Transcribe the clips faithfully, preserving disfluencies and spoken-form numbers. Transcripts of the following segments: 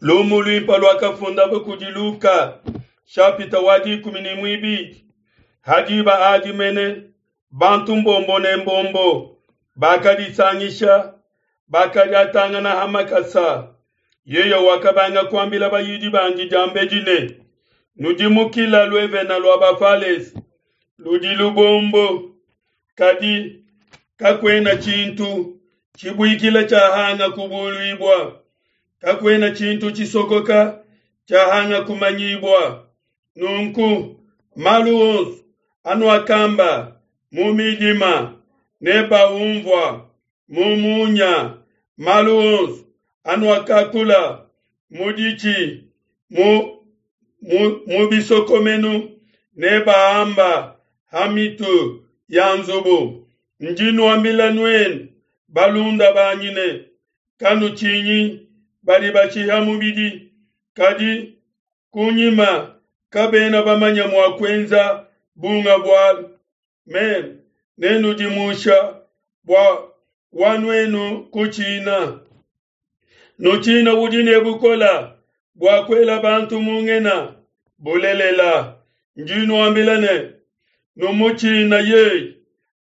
Lumu luimpe luakafundabo kudi Luka, shapita wa dikumi ne muibidi. Ha diba adi mene bantu mbombo ne mbombo bakadisangisha, bakadiatangana ha makasa. Yeye wakabanga kuambila bayidi bandi diambedi ne: Nudimukila luevena lua Bafalese ludi lubombo, kadi kakuena tshintu tshibuikila tshiahanga kubuluibua, kakuena tshintu tshisokoka tshiahanga kumanyibua. Nunku malu onso anuakamba mu midima nebaunvua mu munya, malu onso anuakakula mu ditshi mu, mu, mu bisokomenu nebaamba ha mitu ya nzubu. Ndi nuambila nuenu balunda banyi ne, kanutshinyi badi bashiha mubidi, kadi kunyima kabena bamanya mua kuenza bunga bualu. Meme nenudimusha bua wa nuenu kutshina. Nutshina udi ne bukola bua kuela bantu mu ngena. Bulelela, ndi nuambila ne, numutshina yeye.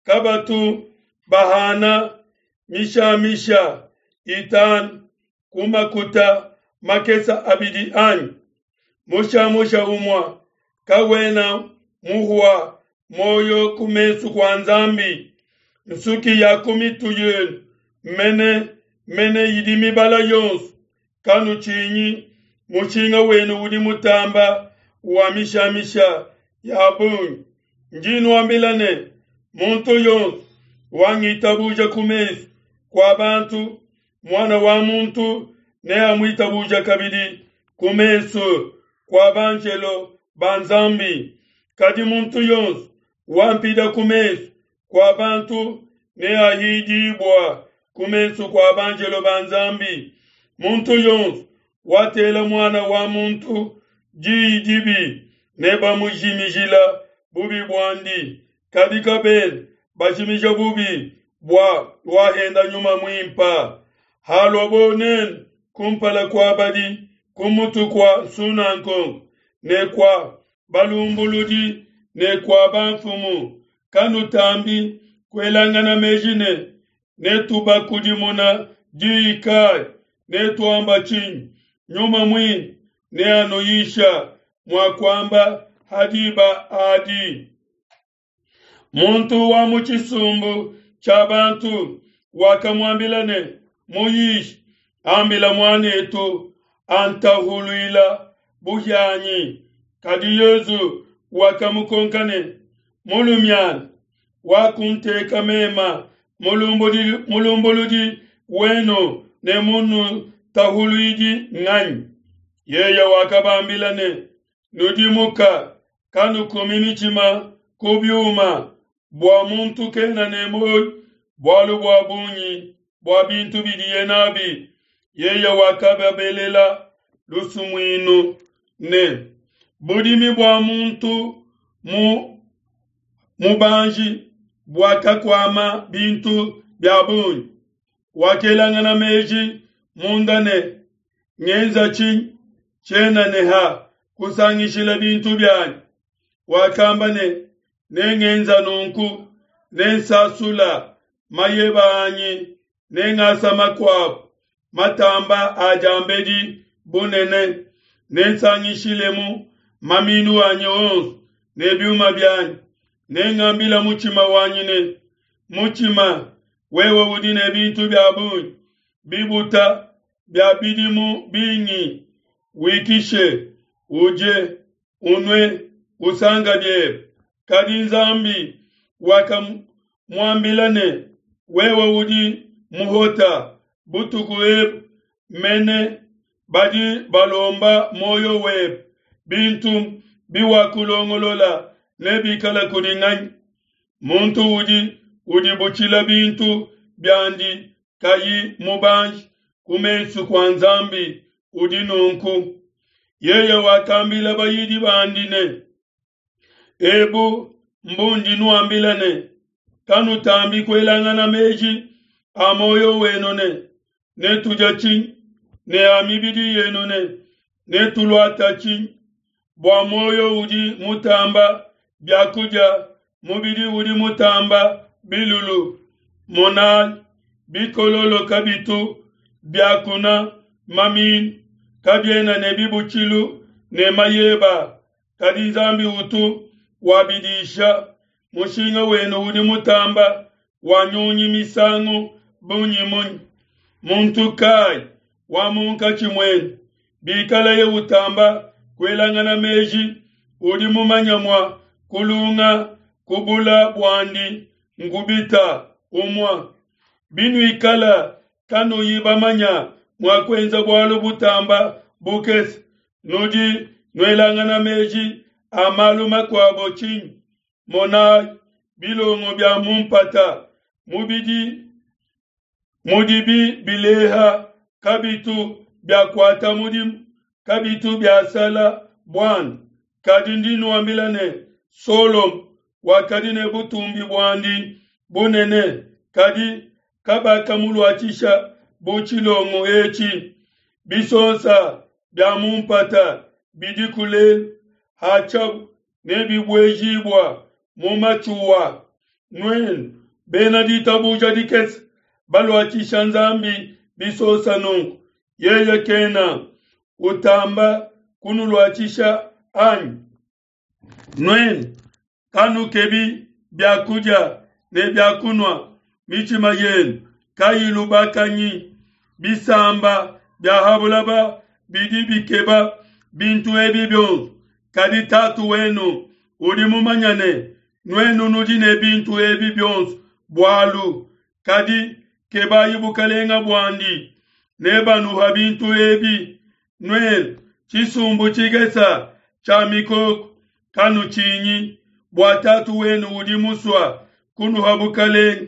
Kabatu bahana mishamisha itanu ku makuta makesa abidi anyi? Mushamusha umue kawena muhua moyo ku mesu kua Nzambi. Nsuki ya ku mitu yenu mene mene idi mibala yonso. Kanutshinyi, mushinga wenu udi mutamba wa mishamisha ya bungi. Ndi nuambila ne, muntu yonso wangitabuja ku mesu kua bantu, Muana wa muntu neamuitabuja kabidi ku mesu kua banjelo ba Nzambi. Kadi muntu yonso wampida ku mesu kua bantu neahidibua ku mesu kua banjelo ba Nzambi. Muntu yonso watela Muana wa muntu diyi dibi nebamujimijila bubi buandi, kadi kabena bajimija bubi bua wahenda Nyuma Muimpe. Haluabo nenu kumpala kua badi ku mutu kua nsunangonga ne kua balumbuludi ne kua bamfumu, kanutambi kuelangana meji ne, netubakudimuna diyi kayi, netuamba tshinyi? Nyuma Muimpe neanuyisha mua kuamba ha diba adi. Muntu wa mu tshisumbu tshia bantu wakamuambila ne, Muyishi, ambila muan'etu antahuluila buhianyi. Kadi Yesu wakamukonka ne, Mulumiana, wakunteka mema mulumbuludi, mulumbuludi wenu ne munutahuluidi nganyi? Yeye wakabambila ne, Nudimuka, kanukumi mitshima ku biuma, bua muntu kena ne muoyo bualu bua bungi bua bintu bidiye nabi. Yeye wakababelela lusumuinu ne, budimi bua muntu mu mubanji buakakuama bintu bia bungi. Wakelangana meji munda ne, ngenza tshinyi? Tshiena ne ha kusangishila bintu bianyi. Wakamba ne, nengenza nunku, nensasula mayeba anyi, nengasa makuabu matamba a diambedi bunene, nensangishilemu maminu anyi onso ne biuma bianyi. Nengambila mutshima wanyi ne, mutshima, wewe udi ne bintu bia bungi bibuta bia bidimu bingi, wikishe, udie, unue, usanga biebe. Kadi Nzambi wakamuambila ne, wewe udi muhota, butuku ebu mene badi balomba muoyo webe, bintu biwakulongolola nebikala kudi nganyi? Muntu udi udibutshila bintu biandi kayi mubanji ku mesu kua Nzambi udi nunku. Yeye wakambila bayidi bandi ne, ebu mbundi nuambila ne, kanutambi kuelangana meji a muoyo wenu ne, netudia tshinyi, ne a mibidi yenu ne, Netuluata tshinyi? Bua muoyo udi mutamba bia kudia, mubidi udi mutamba bilulu. Monayi, bikololo kabitu biakuna maminu, kabiena ne bibutshilu ne mayeba, kadi Nzambi utu wabidisha. Mushinga wenu udi mutamba wa nyunyi misangu bungi munyi? Muntu kayi wa munkatshi muenu, bikalaye utamba kuelangana meji, udi mumanya mua kulunga ku bula buandi nkubita umue? Binuikala kanuyi bamanya mua kuenza bualu butamba bukese, nudi nuelangana meji a malu makuabo tshinyi? Monayi bilongo bia mu mpata, mubidi mudibi bileha kabitu biakuata mudimu, kabitu biasala buanda. Kadi ndi nuambila ne, Solomo wakadi ne butumbi buandi bunene, kadi kabakamuluatshisha bu tshilongo etshi. Bisonsa bia mu mpata bidiku lelu, hatshiabu nebibuejibua mu matshuwa. Nuenu bena ditabuja dikese, baluatshisha Nzambi bisonsa nunku, yeye kena utamba kunuluatshisha anyi? Nuenu kanukebi bia kudia ne bia kunua, mitshima yenu kayilubakanyi. Bisamba bia ha bulaba bidi bikeba bintu ebi bionso, kadi Tatu wenu udi mumanya ne, nuenu nudi ne bintu ebi bionso bualu. Kadi kebayi bukalenga buandi, nebanuha bintu ebi. Nuenu tshisumbu tshikesa tshia mikoko, kanutshinyi, bua Tatu wenu udi musua kunuha bukalenge.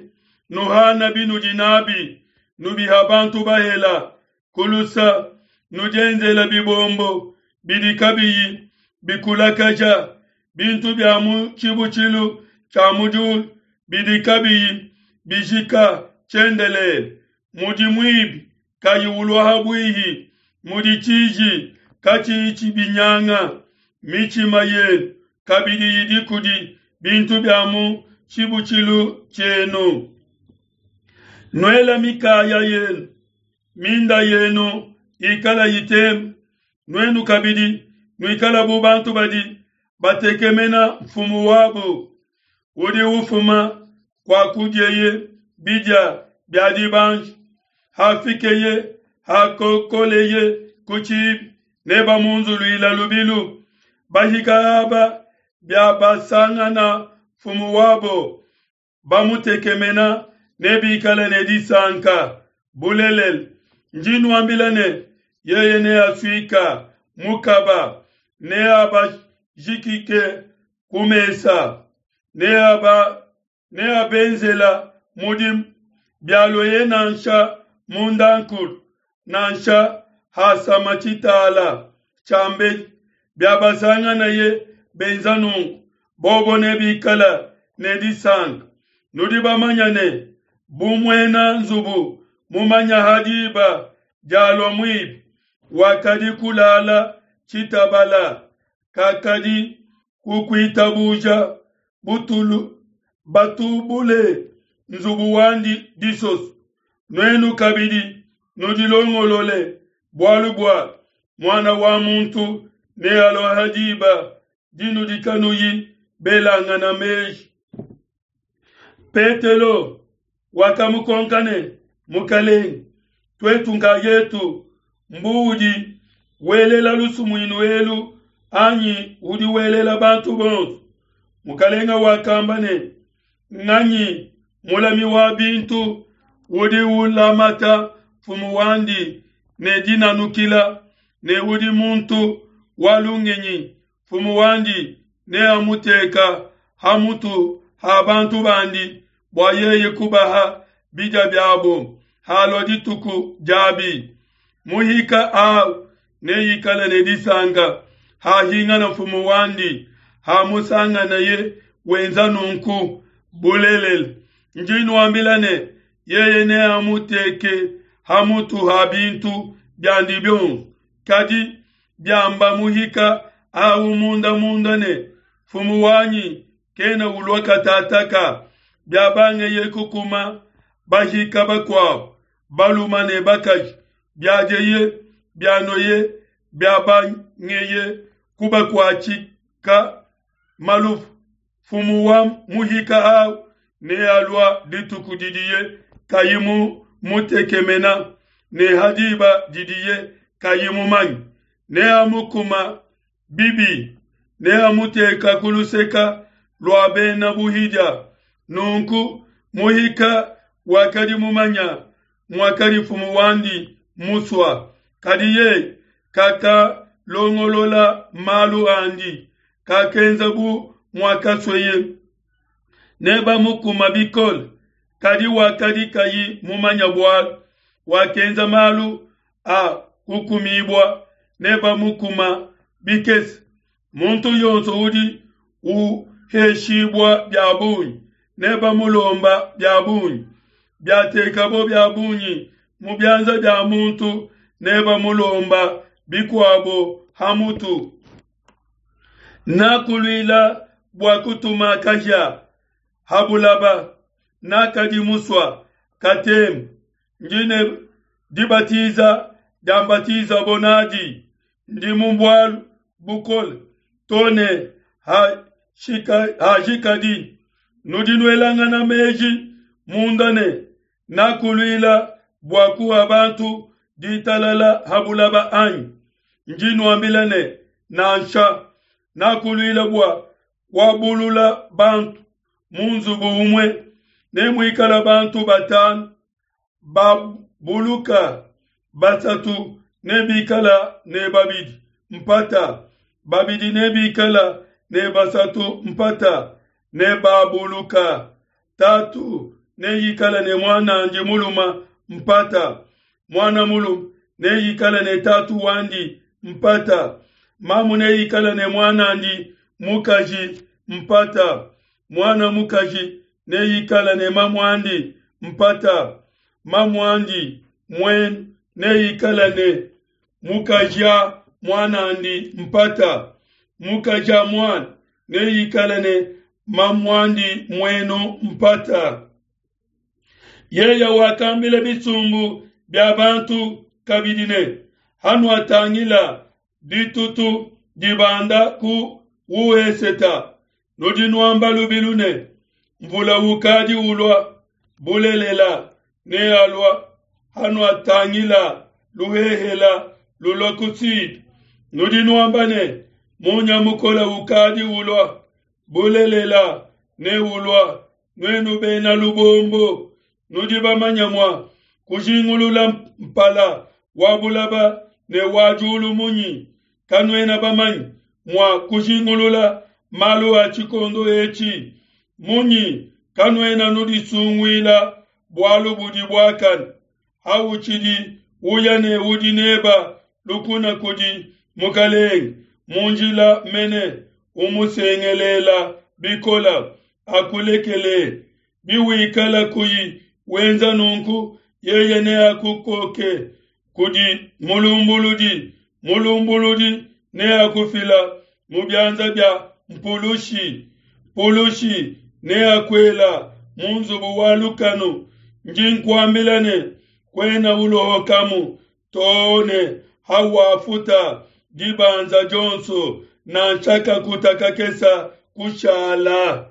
Nuhana binudi nabi, nubiha bantu bahela kulusa, nudienzela bibombo bidi kabiyi bikulakaja, bintu bia mu tshibutshilu tshia mu diulu bidi kabiyi bijika tshiendelele, mudi muibi kayi ulua ha buihi, mudi tshiji katshiyi tshibinyanga. Mitshima yenu kabidi idi kudi bintu bia mu tshibutshilu tshienu. Nuela mikaya yenu, minda yenu ikala itema. Nuenu kabidi nuikala bu bantu badi batekemena mfumu wabo udi ufuma kua kudieye bidia bia dibanji. Hafikeye, hakokoleye ku tshibi, nebamunzuluila lubilu. Bahika aba biabasangana mfumu wabo bamutekemena, nebikale ne disanka. Bulelela, ndi nuambila ne, yeye neasuika mukaba, neabajikike ku mesa, neaba neabenzela mudimu. Bialueye nansha mundankulu, nansha hasama tshitala tshia mbedi, biabasanganaye benza nunku, bobo nebikala ne disanka. Nudi bamanya ne, bu muena nzubu mumanya ha diba dialua muibi, wakadi kulala tshitabala, kakadi kukuitabuja butulu batubule nzubu wandi disoso. Nuenu kabidi nudilongolole, bualu bua Muana wa muntu nealua ha diba dinudi kanuyi belangana meji. Petelo wakamukonka ne, Mukalenge, tuetu nkayetu mbu udi welela lusumuinu elu anyi udi welela bantu bonso? Mukalenge wakamba ne, Nganyi mulami wa bintu udi ulamata mfumu wandi ne dinanukila, ne udi muntu wa lungenyi, mfumu wandi neamuteka ha mutu ha bantu bandi bua yeye kubaha bidia biabo halua dituku diabi. Muhika au neikale ne disanka hahingana mfumu wandi, hamusanganaye wenza nunku. Bulelela, ndi nuambila ne, yeye neamuteke ha mutu ha bintu biandi bionso. Kadi biamba muhika au munda munda ne, Nfumu wanyi kena ulua katataka, biabangeye kukuma bahika bakuabo, balume ne bakaji, biadieye, bianueye, biabangeye kubakuatshika maluvu, nfumu wa muhika au nealua dituku didiye kayi mutekemena ne ha diba didiye kayi mumanye, neamukuma bibi, neamuteka ku luseka lua bena buhidia. Nunku muhika wakadi mumanya muakadi nfumu wandi musua, kadi yeye kakalongolola malu andi, kakenza bu muakasueye, nebamukuma bikole. Kadi wakadi kayi mumanya bualu, wakenza malu a kukumibua, nebamukuma bikese. Muntu yonso udi uheshibua bia bungi, nebamulomba bia bungi. Biatekabo bia bungi mu bianza bia muntu, nebamulomba bikuabo ha mutu. Nakuluila bua kutuma kahia ha bulaba, nakadi musua katema. Ndi ne dibatiza diambatizabo nadi, ndi mu bualu bukole to ne hajikadi. Nudi nuelangana meji munda ne, nakuluila bua kuha bantu ditalala ha bulaba anyi? Ndi nuambila ne, nansha, nakuluila bua kuabulula bantu mu nzubu umue, ne muikala bantu batanu babuluka, basatu ne bikala ne babidi mpata, babidi ne bikala ne basatu mpata, ne babuluka. Tatu ne yikala ne muanandi muluma mpata, muana mulume ne yikala ne tatu wandi mpata, mamu ne yikala ne muanandi mukaji mpata, muana mukaji ne yikala ne mamuandi mpata, mamuandi muenu ne yikala ne mukajia muanandi mpata, mukajia muana ne yikala ne mamuandi muenu mpata. Yeya wakambila bisumbu bia bantu kabidi ne, hanuatangila ditutu dibanda ku weseta, nudi nuamba lubilu ne, mvula ukadi ulua, bulelela nealua. Hanuatangila luhehela lulua ku sud, nudi nuamba ne, munya mukola ukadi ulua, bulelela neulua. Nuenu bena lubombo, nudi bamanya mua kujingulula mpala wa bulaba ne wa diulu munyi? Kanuena bamanye mua kujingulula malu a tshikondo etshi munyi? Kanuena nudisunguila bualu budi buakane? Hautshidi uya ne udi neba lukuna kudi mukalenge mu njila mene, umusengelela bikola akulekele. Biwikala kuyi wenza nunku, yeye neakukoke kudi mulumbuludi, mulumbuludi neakufila mu bianza bia mpulushi, mpulushi neakuela mu nzubu wa lukanu. Ndi nkuambila ne, kuena ulohokamu too ne hawafuta dibanza dionso, nansha kakuta kakesa kushala.